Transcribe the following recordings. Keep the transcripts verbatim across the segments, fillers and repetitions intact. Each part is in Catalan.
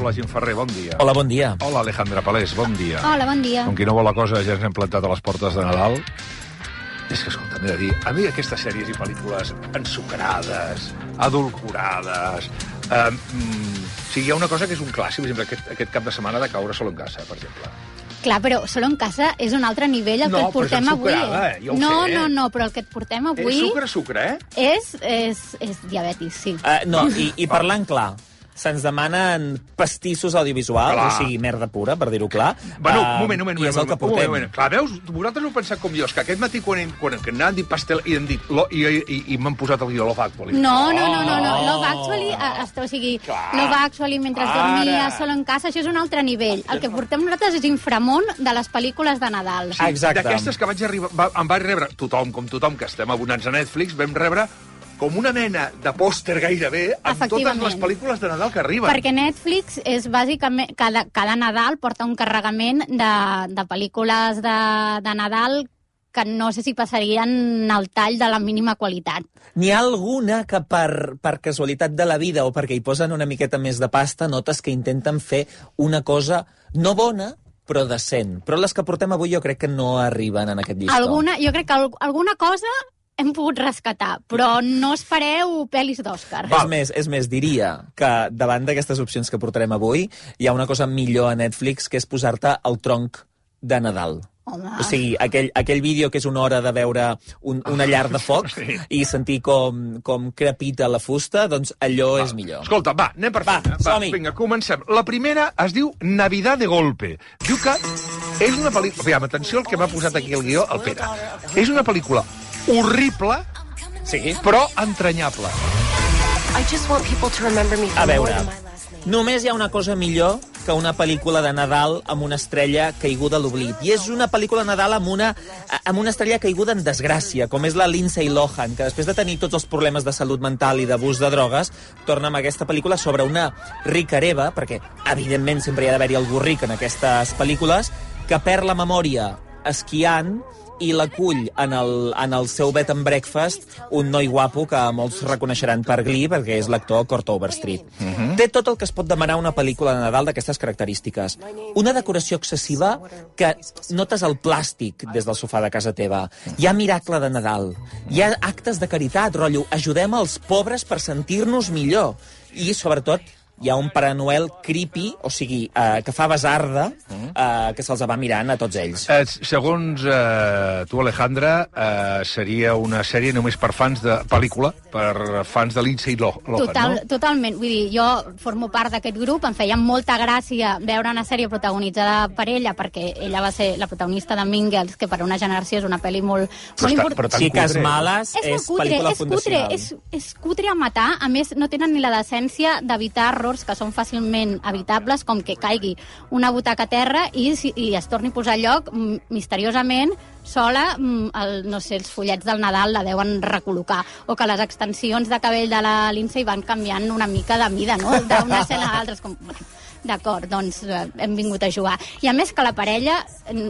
Hola, Jim Ferrer, bon dia. Hola, bon dia. Hola, Alejandra Palés, bon dia. Hola, bon dia. Com qui no vol la cosa, ja ens hem plantat a les portes de Nadal. És que, escolta, m'he de dir, a mi aquestes sèries i pel·lícules ensucrades, adulcorades... Eh, mm, o sigui, hi ha una cosa que és un clàssic, per exemple, aquest, aquest cap de setmana de Caure solo en casa, per exemple. Clar, però Solo en casa és un altre nivell el no, que et portem avui. No, però és ensucrada, eh? Ja ho no, sé, eh? no, no, però el que et portem avui... És sucre, sucre, eh? És, és, és diabetis, sí. Uh, no, i, i parlant clar, se'ns demanen pastissos audiovisuals, clar. O sigui, merda pura, per dir-ho clar. Bueno, un uh, moment, un moment, I és el que portem. un moment. Clar, veus, vosaltres heu pensat com jo, és que aquest matí quan, quan, quan anàvem dit pastel i hem dit, lo, i, i, i m'han posat el guió Love Actually. No, no, no, no, no. Oh. Love Actually, uh, o sigui, Clar. Love Actually mentre Ara. dormia, Solo en casa, això és un altre nivell. El que portem nosaltres és inframont de les pel·lícules de Nadal. Sí, Exacte. d'aquestes que vaig arribar, va, em vaig rebre, tothom, com tothom que estem abonats a Netflix, vam rebre com una mena de pòster gairebé amb totes les pel·lícules de Nadal que arriben. Perquè Netflix és bàsicament... Cada, cada Nadal porta un carregament de, de pel·lícules de, de Nadal que no sé si passarien al tall de la mínima qualitat. N'hi ha alguna que per, per casualitat de la vida o perquè hi posen una miqueta més de pasta notes que intenten fer una cosa no bona, però decent. Però les que portem avui jo crec que no arriben en aquest llistó. Alguna, jo crec que al, alguna cosa hem pogut rescatar, però no espereu pel·lis d'Òscar. És més, és més, diria que davant d'aquestes opcions que portarem avui hi ha una cosa millor a Netflix, que és posar-te el tronc de Nadal. Home. O sigui, aquell, aquell vídeo que és una hora de veure un, una llar de foc Sí. i sentir com, com crepita la fusta, doncs allò Va. és millor. Escolta, va, anem per Va, feina. som-hi. Vinga, comencem. La primera es diu Navidad de golpe. Diu que és una pel·lícula... Aviam, atenció al que m'ha posat aquí el guió, el Pere. És una pel·lícula horrible, Sí. però entranyable. A veure, només hi ha una cosa millor que una pel·lícula de Nadal amb una estrella caiguda a l'oblit. I és una pel·lícula de Nadal amb una, amb una estrella caiguda en desgràcia, com és la Lindsay Lohan, que després de tenir tots els problemes de salut mental i d'abús de drogues, torna amb aquesta pel·lícula sobre una rica hereva, perquè, evidentment, sempre hi ha d'haver-hi algú ric en aquestes pel·lícules, que perd la memòria esquiant i l'acull en, el, en el seu bed and breakfast un noi guapo que molts reconeixeran per Glee, perquè és l'actor Kurt Overstreet. Uh -huh. Té tot el que es pot demanar una pel·lícula de Nadal d'aquestes característiques. Una decoració excessiva que notes el plàstic des del sofà de casa teva. Hi ha miracle de Nadal. Hi ha actes de caritat, rotllo, ajudem els pobres per sentir-nos millor. I, sobretot, hi ha un Pare Noel creepy, o sigui, eh, que fa basarda, eh, que se'ls va mirant a tots ells. Eh, segons eh, tu, Alejandra, eh, seria una sèrie només per fans de pel·lícula, per fans de Lindsay Lohan, Total, no? Totalment. Vull dir, jo formo part d'aquest grup, em feia molta gràcia veure una sèrie protagonitzada per ella, perquè ella va ser la protagonista de Mean Girls, que per una generació és una pel·li molt, molt important. Xiques males És, és, molt cutre, pel·lícula és cutre, fundacional. és, és cutre a matar. A més, no tenen ni la decència d'evitar errors que són fàcilment evitables, com que caigui una butaca a terra i, i es torni a posar a lloc misteriosament sola, el, no sé, els follets del Nadal la deuen recol·locar, o que les extensions de cabell de la Lindsay van canviant una mica de mida, no?, d'una escena a l'altra. Com... D'acord, doncs eh, hem vingut a jugar. I a més que la parella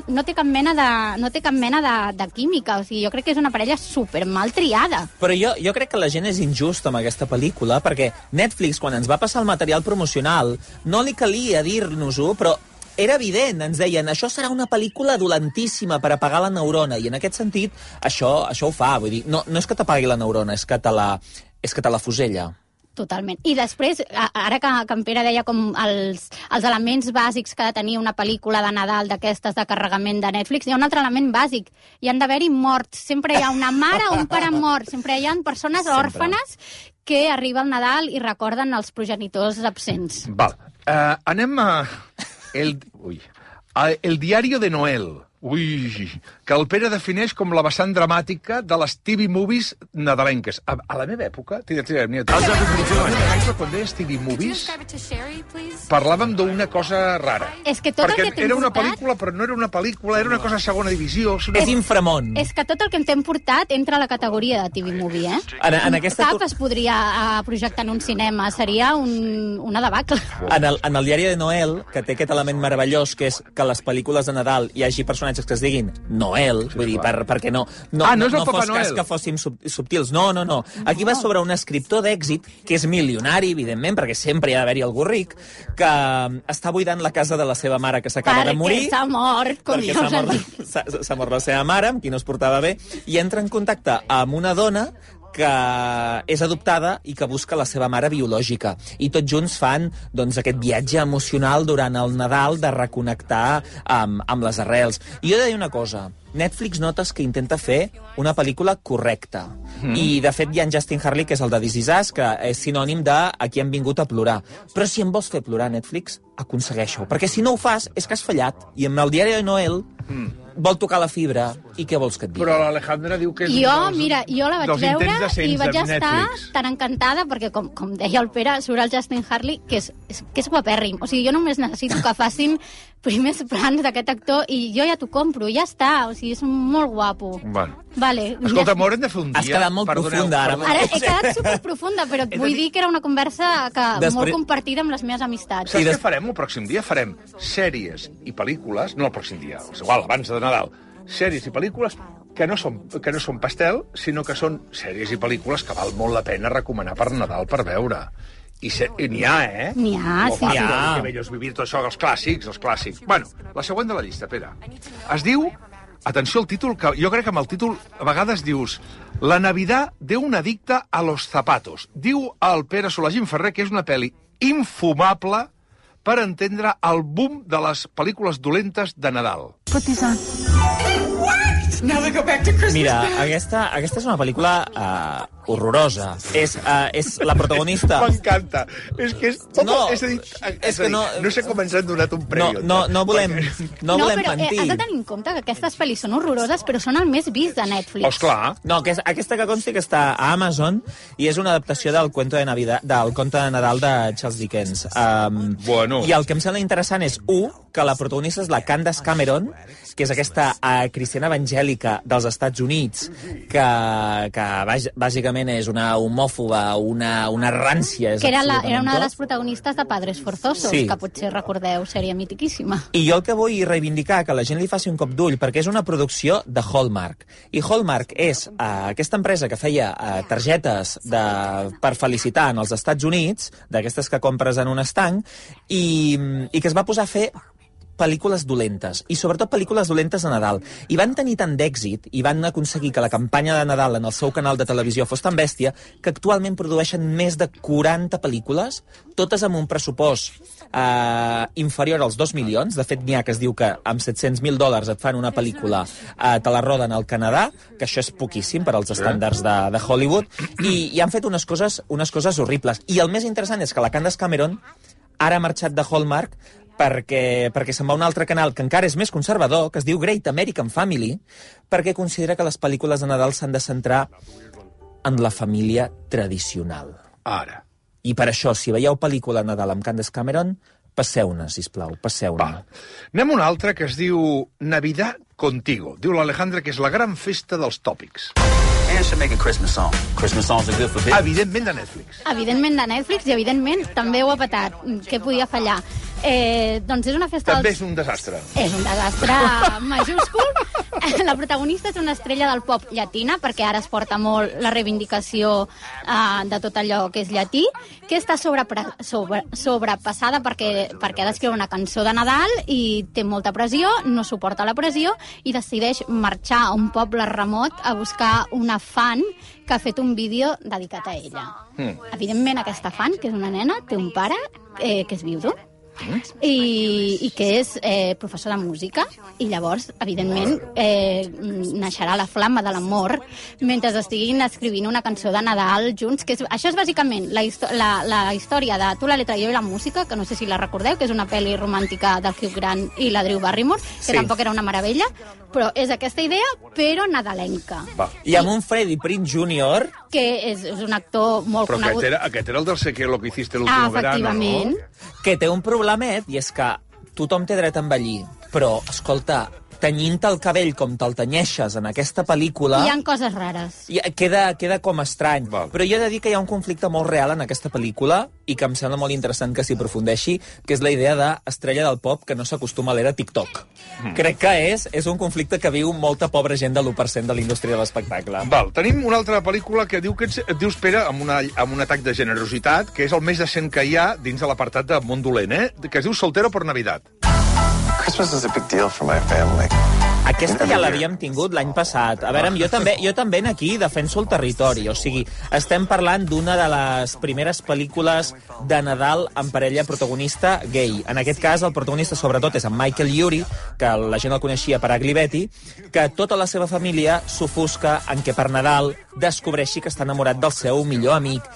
no té cap mena de, no té cap mena de, de química, o sigui, jo crec que és una parella super mal triada. Però jo, jo crec que la gent és injusta amb aquesta pel·lícula, perquè Netflix, quan ens va passar el material promocional, no li calia dir-nos-ho, però era evident, ens deien, això serà una pel·lícula dolentíssima per apagar la neurona, i en aquest sentit, això, això ho fa, vull dir, no, no és que t'apagui la neurona, és que te la, és que te la fusella. Totalment. I després, ara que, que en Pere deia com els, els elements bàsics que ha de tenir una pel·lícula de Nadal d'aquestes de carregament de Netflix, hi ha un altre element bàsic. Hi han d'haver-hi morts. Sempre hi ha una mare o un pare mort. Sempre hi ha persones Sempre. òrfanes que arriba el Nadal i recorden els progenitors absents. Val. Uh, anem a... El, ui. El diario de Noel. Ui, que el Pere defineix com la vessant dramàtica de les T V movies nadalenques. A, a la meva època, tira, tira, mira, tira, tira, quan deies T V movies, parlàvem d'una cosa rara. És que tot Perquè el que t'hem era una portat... pel·lícula, però no era una pel·lícula, era una cosa de segona divisió. No. És inframont. És que tot el que t'hem portat entra a la categoria de T V movie, eh? En, en aquesta... Cap es podria uh, projectar en un cinema. Seria un, una debacle. En el, en el diari de Noel, que té aquest element meravellós, que és que a les pel·lícules de Nadal hi hagi personatges personatges que es diguin Noel, sí, vull dir, per, perquè no, no, ah, no, no, no fos Noel. cas que fóssim sub, subtils. No, no, no. Aquí va sobre un escriptor d'èxit, que és milionari, evidentment, perquè sempre hi ha d'haver-hi algú ric, que està buidant la casa de la seva mare, que s'acaba de morir. Perquè s'ha mort, com perquè s'ha mort, s'ha mort la seva mare, amb qui no es portava bé, i entra en contacte amb una dona que és adoptada i que busca la seva mare biològica. I tots junts fan doncs, aquest viatge emocional durant el Nadal de reconnectar amb, amb les arrels. I jo he de dir una cosa. Netflix notes que intenta fer una pel·lícula correcta. Mm. I, de fet, hi ha en Justin Harley, que és el de This Is Us, que és sinònim de aquí hem vingut a plorar. Però si em vols fer plorar, Netflix, aconsegueix-ho. Perquè si no ho fas, és que has fallat. I amb el diari de Noel mm. vol tocar la fibra. I què vols que et digui? Però l'Alejandra diu que és jo, un dels, mira, jo la vaig veure i vaig estar Netflix. tan encantada, perquè, com, com deia el Pere, surt el Justin Harley, que és, és, que és guapèrrim. O sigui, jo només necessito que facin primers plans d'aquest actor i jo ja t'ho compro, ja està. O sigui, és molt guapo. Bueno. Vale. Escolta, m'haurem de fer un dia... Has quedat molt perdoneu, profunda, ara. perdoneu. Ara he quedat superprofunda, però et vull dir que era una conversa que Després... molt compartida amb les meves amistats. Saps des... què farem el pròxim dia? Farem sèries i pel·lícules, no el pròxim dia, és igual, abans de Nadal, sèries i pel·lícules que no són, que no són pastel, sinó que són sèries i pel·lícules que val molt la pena recomanar per Nadal per veure. I se... n'hi ha, eh? N'hi ha, Lo sí, fàcil, sí. Que bellos vivir, tot això, els clàssics, els clàssics. Bueno, la següent de la llista, Pere. Es diu, atenció al títol, que jo crec que amb el títol a vegades dius La Navidad de un adicte a los zapatos. Diu el Pere Solagín Ferrer que és una pel·li infumable per entendre el boom de les pel·lícules dolentes de Nadal. Put these on. Mira, aquesta, aquesta és una pel·lícula uh, horrorosa. És, uh, és la protagonista... M'encanta. És que és... No, és a dir, és és que a dir, no... no sé com ens han donat un No, premi. no, no volem, no No, volem però eh, mentir. has de tenir en compte que aquestes pel·lis són horroroses, però són el més vist de Netflix. Oh, esclar. No, que és, aquesta que consti que està a Amazon i és una adaptació del cuento de Navidad, del conte de Nadal de Charles Dickens. Um, Bueno. I el que em sembla interessant és, u, que la protagonista és la Candace Cameron, que és aquesta uh, cristiana evangèlica dels Estats Units, que, que bàsicament és una homòfoba, una, una rància. És Que era, la, era una de tot. les protagonistes de Padres Forzosos, Sí. que potser recordeu, sèrie mitiquíssima. I jo el que vull reivindicar, que la gent li faci un cop d'ull, perquè és una producció de Hallmark. I Hallmark és uh, aquesta empresa que feia uh, targetes de, per felicitar en els Estats Units, d'aquestes que compres en un estanc, i, i que es va posar a fer pel·lícules dolentes, i sobretot pel·lícules dolentes de Nadal. I van tenir tant d'èxit, i van aconseguir que la campanya de Nadal en el seu canal de televisió fos tan bèstia, que actualment produeixen més de quaranta pel·lícules, totes amb un pressupost eh, inferior als dos milions. De fet, n'hi ha que es diu que amb set-cents mil dòlars et fan una pel·lícula, eh, te la roden al Canadà, que això és poquíssim per als estàndards de, de Hollywood, i, i han fet unes coses, unes coses horribles. I el més interessant és que la Candace Cameron ara ha marxat de Hallmark perquè, perquè se'n va a un altre canal que encara és més conservador, que es diu Great American Family, perquè considera que les pel·lícules de Nadal s'han de centrar en la família tradicional. Ara. I per això, si veieu pel·lícula de Nadal amb Candace Cameron, passeu-ne, sisplau, passeu-ne. Va. Anem a una altra que es diu Navidad Contigo. Diu l'Alejandra que és la gran festa dels tòpics. And should make a Christmas song. Christmas songs are good for business. Evidentment de Netflix. Evidentment de Netflix, i evidentment també ho ha petat. Què podia fallar? Eh, doncs és una festa... També dels... és un desastre. És un desastre majúscul. La protagonista és una estrella del pop llatina, perquè ara es porta molt la reivindicació uh, de tot allò que és llatí, que està sobrepre... sobre... sobrepassada perquè, perquè ha d'escriure una cançó de Nadal i té molta pressió, no suporta la pressió i decideix marxar a un poble remot a buscar una fan que ha fet un vídeo dedicat a ella. Mm. Evidentment, aquesta fan, que és una nena, té un pare eh, que és viudo, i, i que és eh, professor de música, i llavors, evidentment, eh, naixerà la flama de l'amor mentre estiguin escrivint una cançó de Nadal junts, que és, això és bàsicament la, la, la història de Tu la letra i jo i la música, que no sé si la recordeu, que és una pel·li romàntica del Hugh Grant i la Drew Barrymore, que Sí. tampoc era una meravella, però és aquesta idea, però nadalenca. Va. I amb un Freddie Prinze júnior Que és, és un actor molt Però conegut. aquest era, aquest era el del Sé que lo que hiciste el Ah, último verano, efectivament. no? que té un problemet, i és que tothom té dret a envellir, però, escolta, tenyint el cabell com te'l tenyeixes en aquesta pel·lícula... Hi ha coses rares. I queda, queda com estrany. Val. Però jo he de dir que hi ha un conflicte molt real en aquesta pel·lícula i que em sembla molt interessant que s'hi aprofundeixi, que és la idea d'estrella del pop que no s'acostuma a l'era TikTok. Mm. Crec que és, és un conflicte que viu molta pobra gent de l'u per cent de la indústria de l'espectacle. Val, tenim una altra pel·lícula que diu que et, et dius, Pere, amb, una, amb un atac de generositat, que és el més decent que hi ha dins de l'apartat de Món Dolent, eh? Que es diu Soltero por Navidad. Christmas is a big deal for my family. Aquesta ja l'havíem tingut l'any passat. A veure, jo també, jo també aquí defenso el territori. O sigui, estem parlant d'una de les primeres pel·lícules de Nadal amb parella protagonista gay. En aquest cas, el protagonista sobretot és en Michael Urie, que la gent el coneixia per Ugly Betty, que tota la seva família s'ofusca en què per Nadal descobreixi que està enamorat del seu millor amic.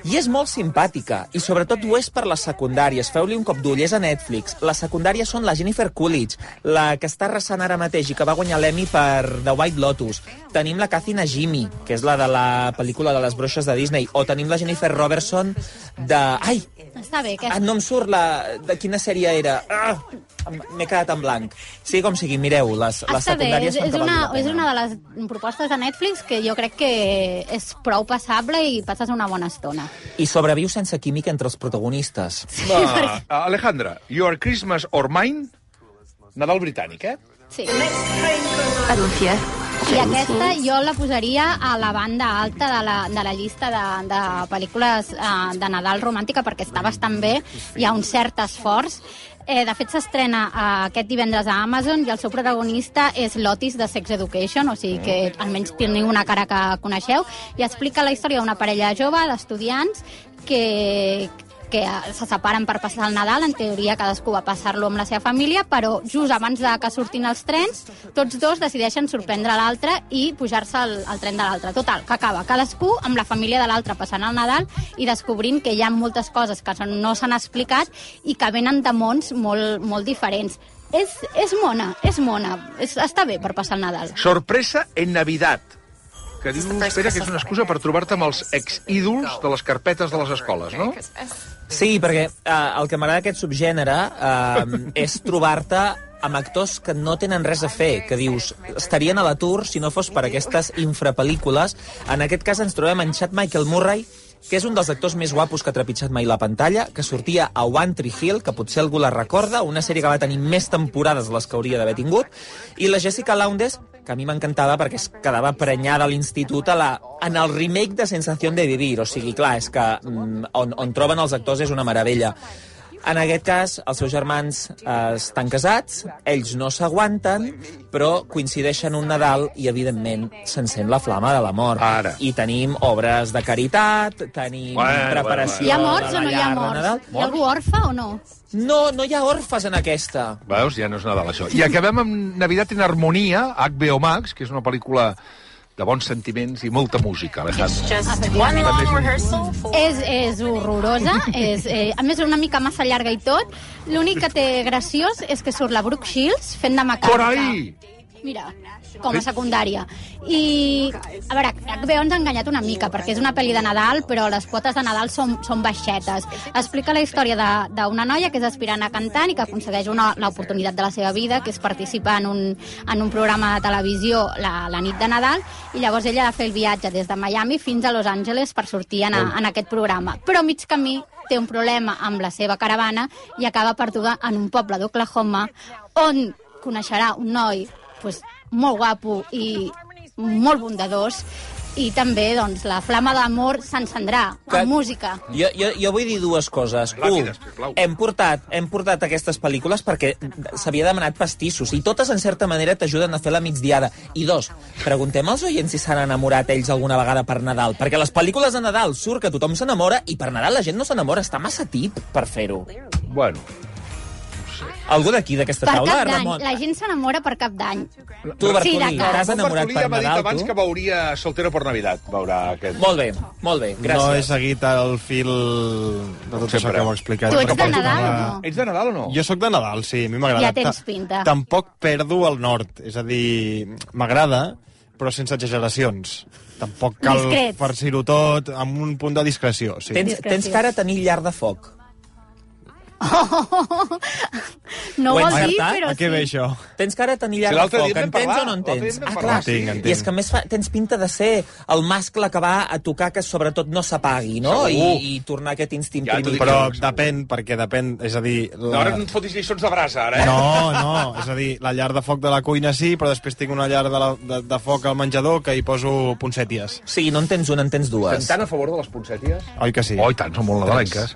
I és molt simpàtica, i sobretot ho és per les secundàries. Feu-li un cop d'ull, és a Netflix. Les secundàries són la Jennifer Coolidge, la que està arrasant ara mateix i que va guanyar l'Emmy per The White Lotus. Tenim la Kathy Najimy, que és la de la pel·lícula de les bruixes de Disney. O tenim la Jennifer Robertson de... Ai! Està bé, aquesta. Ah, no em surt la... De quina sèrie era? Ah! M'he quedat en blanc. Sí, com sigui, mireu, les, les secundàries és, fan és que una, valgui la pena. és una de les propostes de Netflix que jo crec que és prou passable i passes una bona estona. I sobreviu sense química entre els protagonistes. Va, Alejandra, Your Christmas or Mine, Nadal britànic, eh? Sí. Alicia. I aquesta jo la posaria a la banda alta de la, de la llista de, de pel·lícules eh, de Nadal romàntica perquè està bastant bé, hi ha un cert esforç. Eh, de fet, s'estrena eh, aquest divendres a Amazon i el seu protagonista és l'Otis de Sex Education, o sigui que almenys teniu una cara que coneixeu, i explica la història d'una parella jove d'estudiants que... que se separen per passar el Nadal, en teoria cadascú va passar-lo amb la seva família, però just abans de que surtin els trens, tots dos decideixen sorprendre l'altre i pujar-se al, al tren de l'altre. Total, que acaba cadascú amb la família de l'altre passant el Nadal i descobrint que hi ha moltes coses que no s'han explicat i que venen de mons molt, molt diferents. És, és mona, és mona, és, està bé per passar el Nadal. Sorpresa en Navidad, que diu, espera, que és una excusa per trobar-te amb els ex-ídols de les carpetes de les escoles, no? Sí, perquè eh, el que m'agrada d'aquest subgènere eh, és trobar-te amb actors que no tenen res a fer, que dius, estarien a l'atur si no fos per aquestes infrapel·lícules. En aquest cas ens trobem en Chad Michael Murray, que és un dels actors més guapos que ha trepitjat mai la pantalla, que sortia a One Tree Hill, que potser algú la recorda, una sèrie que va tenir més temporades de les que hauria d'haver tingut, i la Jessica Lowndes, que a mi m'encantava perquè es quedava prenyada a l'institut a la, en el remake de Sensación de Vivir. O sigui, clar, és que mm, on, on troben els actors és una meravella. En aquest cas, els seus germans eh, estan casats, ells no s'aguanten, però coincideixen un Nadal i, evidentment, s'encén la flama de l'amor. Ara. I tenim obres de caritat, tenim Bueno, preparació Hi ha morts de o la no hi ha llar de morts? Nadal. Hi ha algú orfe o no? No, no hi ha orfes en aquesta. Veus? Ja no és Nadal, això. I acabem amb Navidad en Harmonia, H B O Max, que és una pel·lícula de bons sentiments i molta música, Alejandro. One long rehearsal for... És, és horrorosa, és, eh, a més una mica massa llarga i tot. L'únic que té graciós és que surt la Brooke Shields fent de mecànica. Por ahí! Mira, com a secundària. I, a veure, H B O ens ha enganyat una mica, perquè és una pel·li de Nadal, però les quotes de Nadal són, són baixetes. Explica la història d'una noia que és aspirant a cantant i que aconsegueix una, l'oportunitat de la seva vida, que és participar en un, en un programa de televisió la, la nit de Nadal, i llavors ella ha de fer el viatge des de Miami fins a Los Angeles per sortir en, a, en aquest programa. Però a mig camí té un problema amb la seva caravana i acaba perduda en un poble d'Oklahoma on coneixerà un noi pues, molt guapo i molt bondadós, i també doncs, la flama d'amor s'encendrà amb música. Jo, jo, jo vull dir dues coses. Un, hem portat, hem portat aquestes pel·lícules perquè s'havia demanat pastissos i totes, en certa manera, t'ajuden a fer la migdiada. I dos, preguntem als oients si s'han enamorat ells alguna vegada per Nadal, perquè les pel·lícules de Nadal surt que tothom s'enamora i per Nadal la gent no s'enamora, està massa tip per fer-ho. Bueno, algú d'aquí, d'aquesta Per taula, Cap d'Any, Ramon? la gent s'enamora per Cap d'Any. Tu, Bertolí, d'acord. t'has enamorat Bertolí per ja m'ha dit Nadal, abans tu? que veuria Soltero por Navidad. Veurà aquest... Molt bé, molt bé, gràcies. No he seguit el fil de tot Sempre. això que heu explicat. Tu ets Perquè de Nadal o porto no? Ets de Nadal o no? Jo sóc de Nadal, sí, a mi m'agrada. Ja tens Ta- pinta. Tampoc perdo el nord, és a dir, m'agrada, però sense exageracions. Tampoc cal Discret. farcir-ho tot, amb un punt de discreció. Sí. Tens, tens cara a tenir llar de foc. No Ho he vol dir, encertat? però A què ve sí. això? Tens cara de tenir Si llar de l'altre dia foc, en vam entens parlar, o no l'altre dia entens? en vam Ah, parlar. clar. Entenc, entenc. I és que a més fa, tens pinta de ser el mascle que va a tocar que sobretot no s'apagui, no? I, Segur. I tornar aquest instint Ja t'ho dic primitiu. Però segur. depèn, perquè depèn, és a dir... No, ara no et fotis lliçons de brasa, ara, eh? No, no, és a dir, la llar de foc de la cuina sí, però després tinc una llar de, la, de, de foc al menjador que hi poso poncèties. Sí, no en tens una, en tens dues. Estem tan a favor de les poncèties? Oi que sí? Oh, i tant, són molt nadalenques.